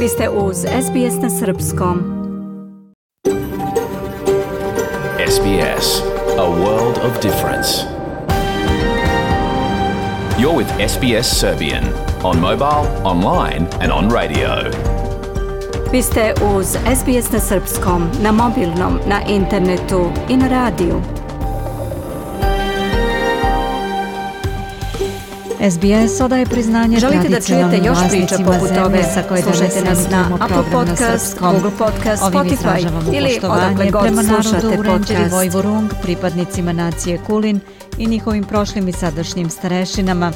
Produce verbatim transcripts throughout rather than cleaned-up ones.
Vi ste uz S B S na srpskom. S B S, a world of difference. You're with S B S Serbian on mobile, online and on radio. Vi ste uz S B S na srpskom, na mobilnom, na internetu i na radiju. S B S odaje priznanje Želite da čujete još priča poput ove? Slušajte nas na Apple Podcast, Google Podcast, Spotify ili odakle god slušate podcast. Vojvorung, pripadnicima nacije Kulin i njihovim prošlim i sadašnjim starešinama.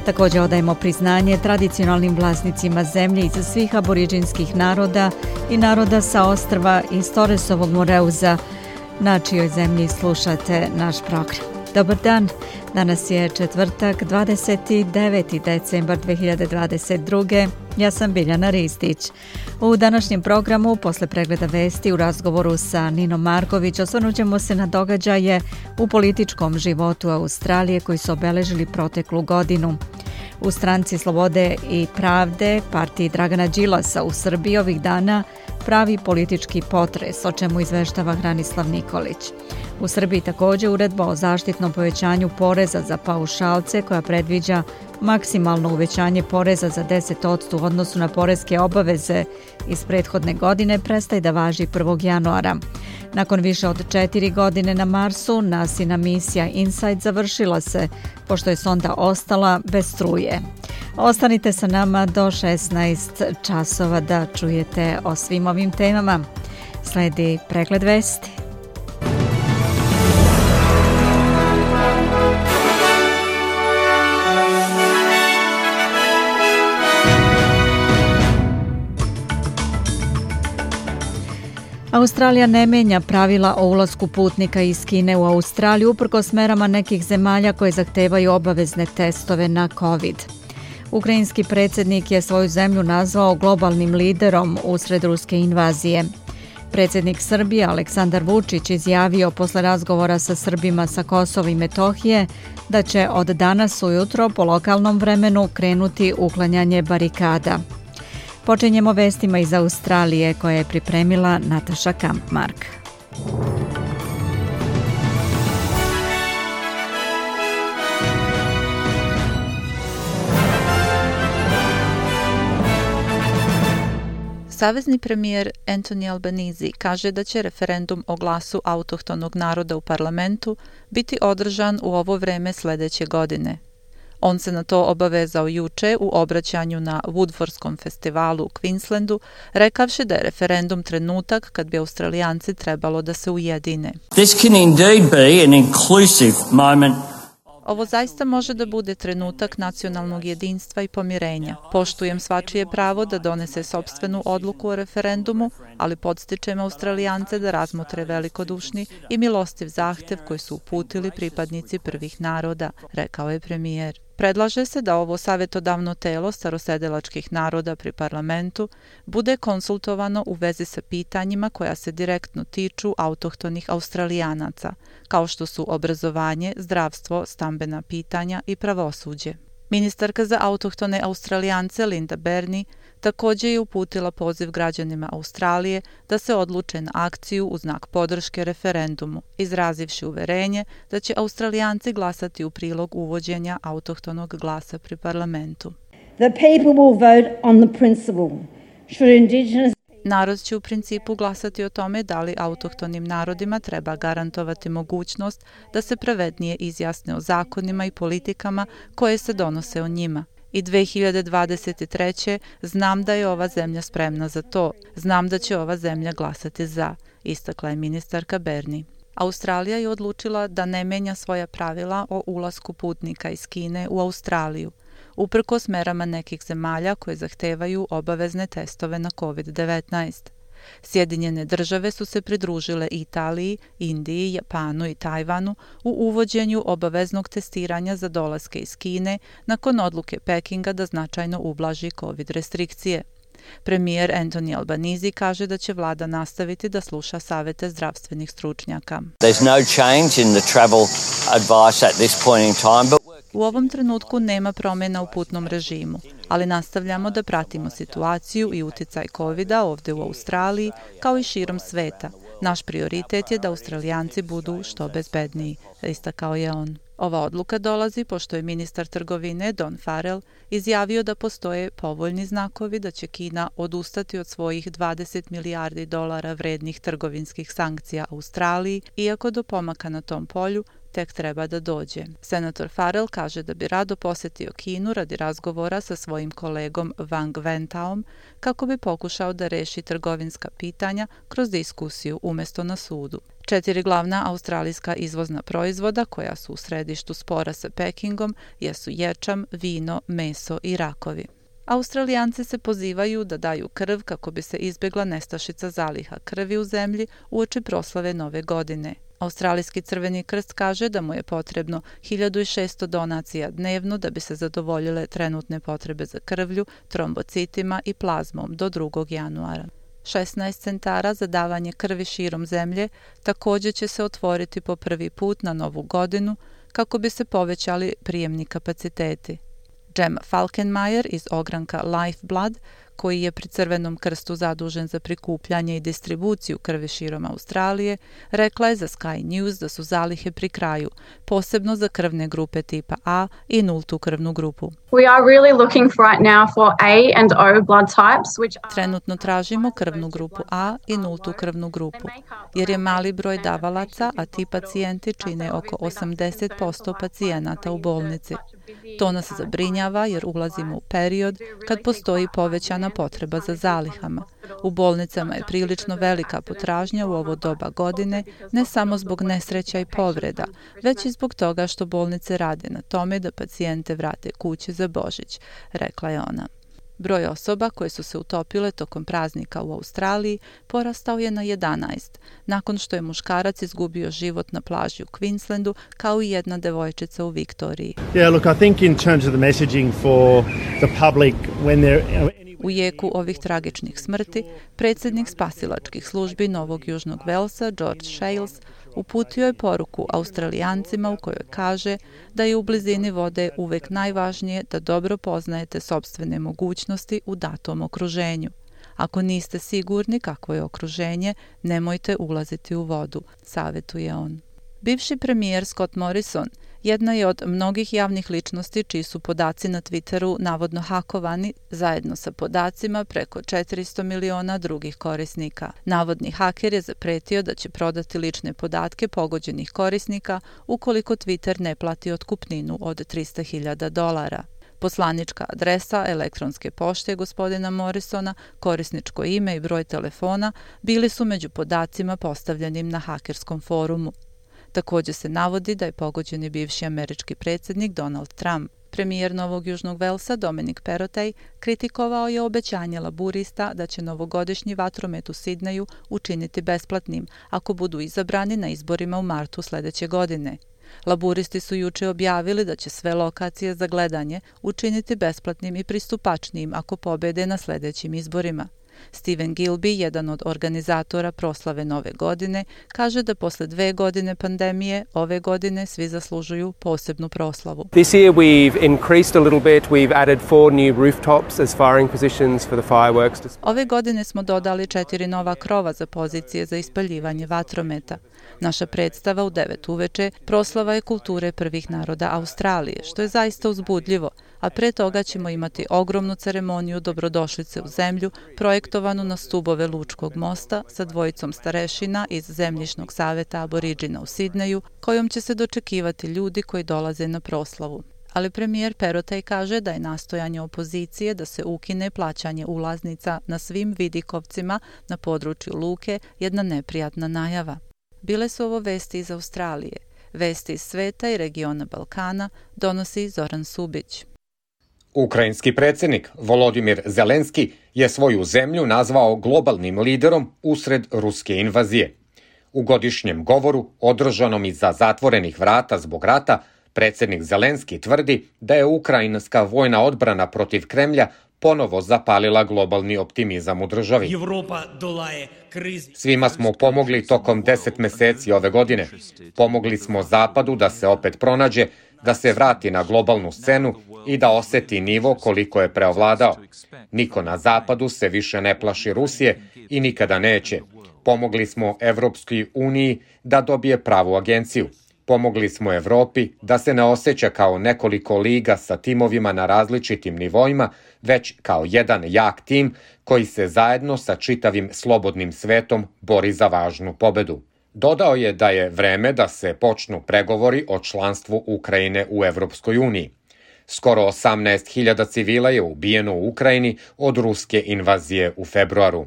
Također odajemo priznanje tradicionalnim vlasnicima zemlje iz svih aboriđinskih naroda i naroda sa ostrva iz Torresovog Moreuza, na čijoj zemlji slušate naš program. Dobar dan, danas je četvrtak, dvadeset deveti decembar dve hiljade dvadeset druge. Ja sam Biljana Ristić. U današnjem programu, posle pregleda vesti u razgovoru sa Ninom Marković, osvrnut ćemo se na događaje u političkom životu Australije koji su obeležili proteklu godinu. U Stranci slobode i pravde, partiji Dragana Đilasa u Srbiji ovih dana pravi politički potres, o čemu izveštava Hranislav Nikolić. U Srbiji također uredba o zaštitnom povećanju poreza za paušalce koja predviđa maksimalno uvećanje poreza za deset posto u odnosu na poreske obaveze iz prethodne godine prestaje da važi prvog januara. Nakon više od četiri godine na Marsu, NASIna misija InSight završila se, pošto je sonda ostala bez struje. Ostanite sa nama do šesnaest časova da čujete o svim ovim temama. Sledi pregled vesti. Australija ne menja pravila o ulasku putnika iz Kine u Australiju uprkos merama nekih zemalja koje zahtevaju obavezne testove na COVID. Ukrajinski predsjednik je svoju zemlju nazvao globalnim liderom usred ruske invazije. Predsjednik Srbije Aleksandar Vučić izjavio posle razgovora sa Srbima sa Kosova i Metohije da će od danas ujutro po lokalnom vremenu krenuti uklanjanje barikada. Počinjemo vestima iz Australije koje je pripremila Nataša Kampmark. Savezni premijer Anthony Albanese kaže da će referendum o glasu autohtonog naroda u parlamentu biti održan u ovo vreme sljedeće godine. On se na to obavezao juče u obraćanju na Woodfordskom festivalu u Queenslandu, rekavši da je referendum trenutak kad bi Australijanci trebalo da se ujedine. This can indeed be an inclusive moment. Ovo zaista može da bude trenutak nacionalnog jedinstva i pomirenja. Poštujem svačije pravo da donese sopstvenu odluku o referendumu, ali podstičem Australijance da razmotre velikodušni i milostiv zahtev koji su uputili pripadnici prvih naroda, rekao je premijer. Predlaže se da ovo savjetodavno telo starosedelačkih naroda pri parlamentu bude konsultovano u vezi sa pitanjima koja se direktno tiču autohtonih Australijanaca, kao što su obrazovanje, zdravstvo, stambena pitanja i pravosuđe. Ministarka za autohtone Australijance Linda Burney također je uputila poziv građanima Australije da se odluče na akciju u znak podrške referendumu, izrazivši uverenje da će Australijanci glasati u prilog uvođenja autohtonog glasa pri parlamentu. The people will vote on the principle. Should indigenous Narod će u principu glasati o tome da li autohtonim narodima treba garantovati mogućnost da se pravednije izjasne o zakonima i politikama koje se donose o njima. I dve hiljade dvadeset treće znam da je ova zemlja spremna za to. Znam da će ova zemlja glasati za, istakla je ministarka Burney. Australija je odlučila da ne menja svoja pravila o ulasku putnika iz Kine u Australiju, uprkos merama nekih zemalja koje zahtevaju obavezne testove na covid devetnaest. Sjedinjene države su se pridružile Italiji, Indiji, Japanu i Tajvanu u uvođenju obaveznog testiranja za dolaske iz Kine nakon odluke Pekinga da značajno ublaži covid restrikcije. Premijer Anthony Albanese kaže da će vlada nastaviti da sluša savete zdravstvenih stručnjaka. There's no change in the travel advice at this point in time, but U ovom trenutku nema promjena u putnom režimu, ali nastavljamo da pratimo situaciju i uticaj kovida ovdje u Australiji kao i širom sveta. Naš prioritet je da Australijanci budu što bezbedniji, istakao je on. Ova odluka dolazi pošto je ministar trgovine Don Farrell izjavio da postoje povoljni znakovi da će Kina odustati od svojih dvadeset milijardi dolara vrednih trgovinskih sankcija Australiji, iako do pomaka na tom polju tek treba da dođe. Senator Farrell kaže da bi rado posjetio Kinu radi razgovora sa svojim kolegom Wang Wentaom kako bi pokušao da reši trgovinska pitanja kroz diskusiju umjesto na sudu. Četiri glavna australijska izvozna proizvoda koja su u središtu spora sa Pekingom jesu ječam, vino, meso i rakovi. Australijanci se pozivaju da daju krv kako bi se izbjegla nestašica zaliha krvi u zemlji uoči proslave Nove godine. Australijski Crveni krst kaže da mu je potrebno hiljadu šesto donacija dnevno da bi se zadovoljile trenutne potrebe za krvlju, trombocitima i plazmom do drugog januara. šesnaest centara za davanje krvi širom zemlje također će se otvoriti po prvi put na Novu godinu kako bi se povećali prijemni kapaciteti. Jem Falkenmayer iz ogranka Lifeblood, koji je pri Crvenom krstu zadužen za prikupljanje i distribuciju krvi širom Australije, rekla je za Sky News da su zalihe pri kraju, posebno za krvne grupe tipa A i nultu krvnu grupu. We are really looking for right now for A and O blood types, which are... Trenutno tražimo krvnu grupu A i nultu krvnu grupu, jer je mali broj davalaca, a ti pacijenti čine oko osamdeset posto pacijenata u bolnici. To nas zabrinjava jer ulazimo u period kad postoji povećana potreba za zalihama. U bolnicama je prilično velika potražnja u ovo doba godine, ne samo zbog nesreća i povreda, već i zbog toga što bolnice rade na tome da pacijente vrate kući za Božić, rekla je ona. Broj osoba koje su se utopile tokom praznika u Australiji porastao je na jedanaest, nakon što je muškarac izgubio život na plaži u Queenslandu, kao i jedna devojčica u Viktoriji. Yeah, look, I think in terms of the messaging for the public when they're... U jeku ovih tragičnih smrti, predsjednik spasilačkih službi Novog Južnog Velsa, George Shales, uputio je poruku Australijancima u kojoj kaže da je u blizini vode uvek najvažnije da dobro poznajete sopstvene mogućnosti u datom okruženju. Ako niste sigurni kakvo je okruženje, nemojte ulaziti u vodu, savjetuje on. Bivši premijer Scott Morrison jedna je od mnogih javnih ličnosti čiji su podaci na Twitteru navodno hakovani zajedno sa podacima preko četiristo miliona drugih korisnika. Navodni haker je zapretio da će prodati lične podatke pogođenih korisnika ukoliko Twitter ne plati otkupninu od trista hiljada dolara. Poslanička adresa elektronske pošte gospodina Morrisona, korisničko ime i broj telefona bili su među podacima postavljenim na hakerskom forumu. Također se navodi da je pogođeni bivši američki predsjednik Donald Trump. Premijer Novog Južnog Velsa Dominic Perrottet kritikovao je obećanje laburista da će novogodišnji vatromet u Sidneju učiniti besplatnim ako budu izabrani na izborima u martu sljedeće godine. Laburisti su juče objavili da će sve lokacije za gledanje učiniti besplatnim i pristupačnijim ako pobede na sljedećim izborima. Stephen Gilby, jedan od organizatora proslave Nove godine, kaže da posle dve godine pandemije, ove godine svi zaslužuju posebnu proslavu. This year we've increased a little bit. We've added four new rooftops as firing positions for the fireworks. Ove godine smo dodali četiri nova krova za pozicije za ispaljivanje vatrometa. Naša predstava u devet uveče proslava je kulture prvih naroda Australije, što je zaista uzbudljivo, a pre toga ćemo imati ogromnu ceremoniju dobrodošlice u zemlju, projektovanu na stubove Lučkog mosta sa dvojicom starešina iz Zemljišnog saveta Aboriđina u Sidneju, kojom će se dočekivati ljudi koji dolaze na proslavu. Ali premijer Perrottet kaže da je nastojanje opozicije da se ukine plaćanje ulaznica na svim vidikovcima na području luke jedna neprijatna najava. Bile su ovo vesti iz Australije. Vesti iz sveta i regiona Balkana donosi Zoran Subić. Ukrajinski predsjednik Volodimir Zelenski je svoju zemlju nazvao globalnim liderom usred ruske invazije. U godišnjem govoru, održanom iza zatvorenih vrata zbog rata, predsjednik Zelenski tvrdi da je ukrajinska vojna odbrana protiv Kremlja ponovo zapalila globalni optimizam u državi. Svima smo pomogli tokom deset meseci ove godine. Pomogli smo Zapadu da se opet pronađe, da se vrati na globalnu scenu i da oseti nivo koliko je preovladao. Niko na Zapadu se više ne plaši Rusije i nikada neće. Pomogli smo Evropskoj uniji da dobije pravu agenciju. Pomogli smo Evropi da se ne osjeća kao nekoliko liga sa timovima na različitim nivoima, već kao jedan jak tim koji se zajedno sa čitavim slobodnim svetom bori za važnu pobedu. Dodao je da je vreme da se počnu pregovori o članstvu Ukrajine u Evropskoj uniji. Skoro osamnaest hiljada civila je ubijeno u Ukrajini od ruske invazije u februaru.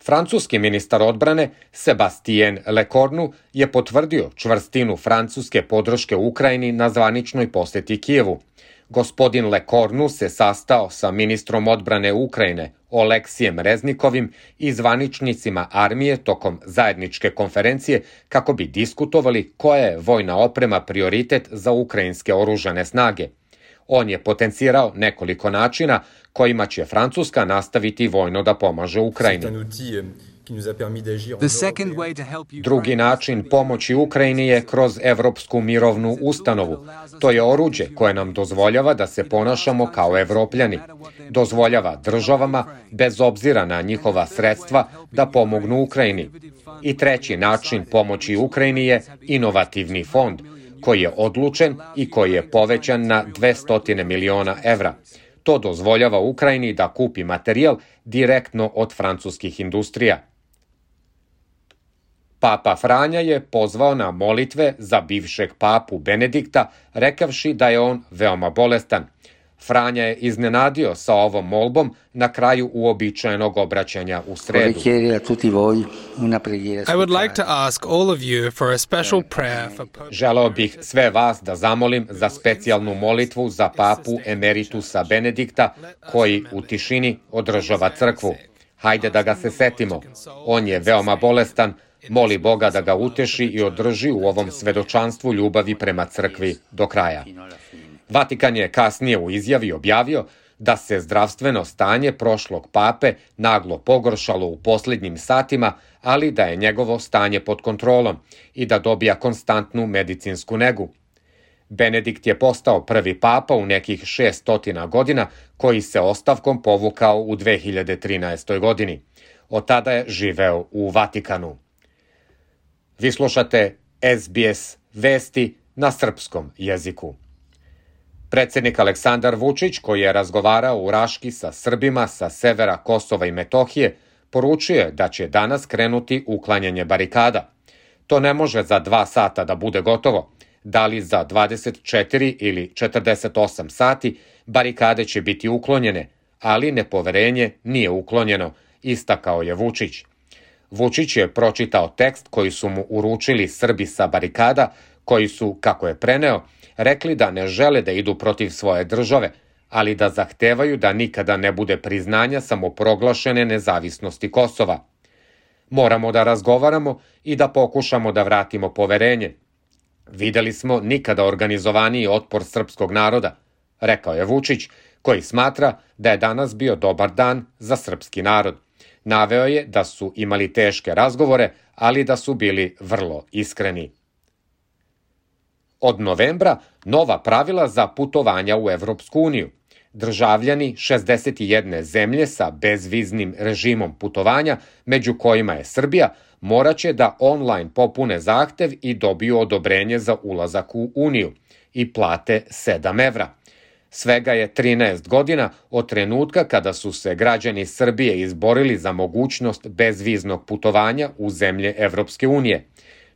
Francuski ministar odbrane Sebastien Lecornu je potvrdio čvrstinu francuske podrške Ukrajini na zvaničnoj poseti Kijevu. Gospodin Lecornu se sastao sa ministrom odbrane Ukrajine Oleksijem Reznikovim i zvaničnicima armije tokom zajedničke konferencije kako bi diskutovali koja je vojna oprema prioritet za ukrajinske oružane snage. On je potencirao nekoliko načina kojima će Francuska nastaviti vojno da pomaže Ukrajini. Drugi način pomoći Ukrajini je kroz Evropsku mirovnu ustanovu. To je oruđe koje nam dozvoljava da se ponašamo kao Evropljani. Dozvoljava državama, bez obzira na njihova sredstva, da pomognu Ukrajini. I treći način pomoći Ukrajini je inovativni fond, koji je odlučen i koji je povećan na dvesta miliona evra. To dozvoljava Ukrajini da kupi materijal direktno od francuskih industrija. Papa Franja je pozvao na molitve za bivšeg papu Benedikta, rekavši da je on veoma bolestan. Franja je iznenadio sa ovom molbom na kraju uobičajenog obraćanja u sredu. I would like to ask all of you for a special prayer for Pope. Želeo bih sve vas da zamolim za specijalnu molitvu za papu emeritusa Benedikta, koji u tišini održava crkvu. Hajde da ga se setimo. On je veoma bolestan, moli Boga da ga uteši i održi u ovom svedočanstvu ljubavi prema crkvi do kraja. Vatikan je kasnije u izjavi objavio da se zdravstveno stanje prošlog pape naglo pogoršalo u posljednjim satima, ali da je njegovo stanje pod kontrolom i da dobija konstantnu medicinsku negu. Benedikt je postao prvi papa u nekih šeststotina godina koji se ostavkom povukao u dve hiljade trinaestoj. godini. Od tada je živeo u Vatikanu. Vi slušate S B S vesti na srpskom jeziku. Predsjednik Aleksandar Vučić, koji je razgovarao u Raški sa Srbima sa severa Kosova i Metohije, poručio je da će danas krenuti uklanjanje barikada. To ne može za dva sata da bude gotovo. Da li za dvadeset četiri ili četrdeset osam sati barikade će biti uklonjene, ali nepoverenje nije uklonjeno, istakao je Vučić. Vučić je pročitao tekst koji su mu uručili Srbi sa barikada, koji su, kako je preneo, rekli da ne žele da idu protiv svoje države, ali da zahtevaju da nikada ne bude priznanja samoproglašene nezavisnosti Kosova. Moramo da razgovaramo i da pokušamo da vratimo poverenje. Videli smo nikada organizovaniji otpor srpskog naroda, rekao je Vučić, koji smatra da je danas bio dobar dan za srpski narod. Naveo je da su imali teške razgovore, ali da su bili vrlo iskreni. Od novembra nova pravila za putovanja u Evropsku uniju. Državljani šezdeset jedne zemlje sa bezviznim režimom putovanja, među kojima je Srbija, moraće da online popune zahtev i dobiju odobrenje za ulazak u Uniju i plate sedam evra. Svega je trinaest godina od trenutka kada su se građani Srbije izborili za mogućnost bezviznog putovanja u zemlje Evropske unije.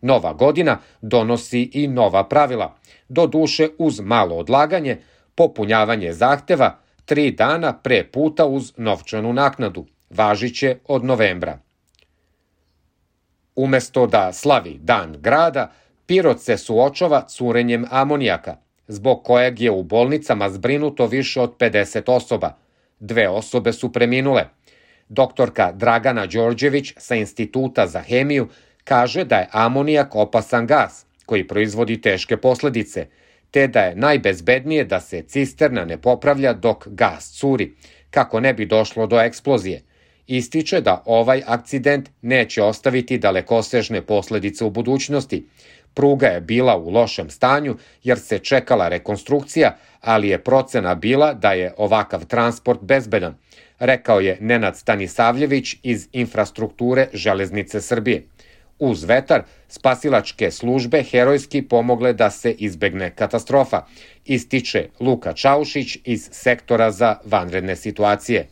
Nova godina donosi i nova pravila, doduše uz malo odlaganje, popunjavanje zahteva tri dana pre puta uz novčanu naknadu, važiće od novembra. Umesto da slavi Dan grada, Pirot se suočava curenjem amonijaka, zbog kojeg je u bolnicama zbrinuto više od pedeset osoba. Dve osobe su preminule. Doktorka Dragana Đorđević sa Instituta za hemiju kaže da je amonijak opasan gas koji proizvodi teške posledice. te da je najbezbednije da se cisterna ne popravlja dok gas curi, kako ne bi došlo do eksplozije. Ističe da ovaj akcident neće ostaviti dalekosežne posledice u budućnosti. Pruga je bila u lošem stanju jer se čekala rekonstrukcija, ali je procena bila da je ovakav transport bezbedan, rekao je Nenad Stanisavljević iz infrastrukture Železnice Srbije. Uz vetar, spasilačke službe herojski pomogle da se izbegne katastrofa, ističe Luka Čaušić iz sektora za vanredne situacije.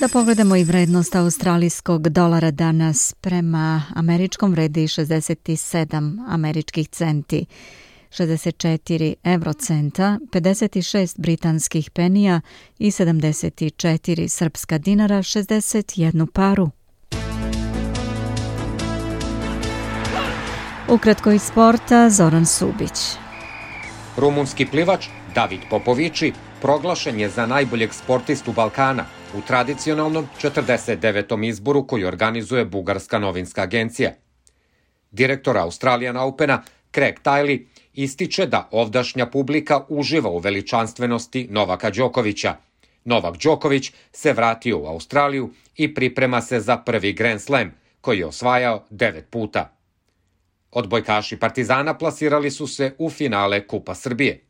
Da pogledamo i vrednost australijskog dolara danas prema američkom vredi šezdeset sedam američkih centi, šezdeset četiri evrocenta, pedeset šest britanskih penija i sedamdeset četiri srpska dinara, šezdeset jednu paru. Ukratko iz sporta, Zoran Subić. Rumunski plivač David Popovići proglašen je za najboljeg sportistu Balkana u tradicionalnom četrdeset devetom izboru koji organizuje Bugarska novinska agencija. Direktor Australian Opena Craig Tiley ističe da ovdašnja publika uživa u veličanstvenosti Novaka Đokovića. Novak Đoković se vratio u Australiju i priprema se za prvi Grand Slam, koji je osvajao devet puta. Odbojkaši Partizana plasirali su se u finale Kupa Srbije.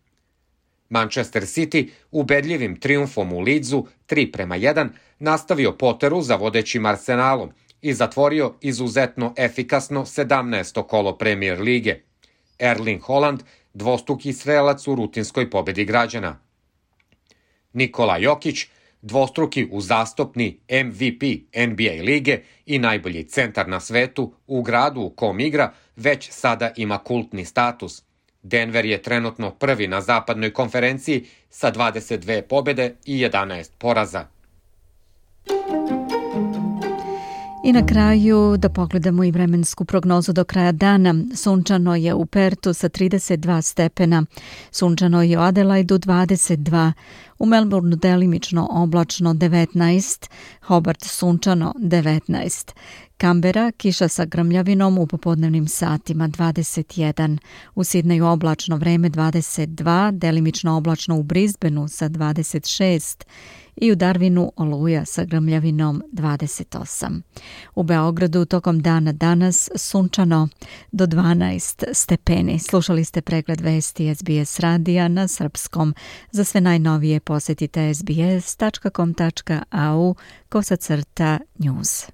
Manchester City ubedljivim trijumfom u Leedsu tri prema jedan nastavio poteru za vodećim Arsenalom i zatvorio izuzetno efikasno sedamnaesto kolo Premier lige. Erling Haaland dvostruki strelac u rutinskoj pobedi građana. Nikola Jokić dvostruki uzastopni M V P N B A lige i najbolji centar na svetu u gradu u kom igra već sada ima kultni status. Denver je trenutno prvi na zapadnoj konferenciji sa dvadeset dve pobjede i jedanaest poraza. I na kraju da pogledamo i vremensku prognozu do kraja dana. Sunčano je u Pertu sa trideset dva stepena, sunčano je u Adelaidu dvadeset dva, u Melbourneu delimično oblačno devetnaest, Hobart sunčano devetnaest, Kambera kiša sa grmljavinom u popodnevnim satima dvadeset jedan, u Sidneju oblačno vreme dvadeset dva, delimično oblačno u Brisbaneu sa dvadeset šest i u Darwinu oluja sa grmljavinom dvadeset osam. U Beogradu tokom dana danas sunčano do dvanaest stepeni. Slušali ste pregled vesti S B S radija na srpskom. Za sve najnovije posjetite sbs tačka com tačka a u kosacrta news.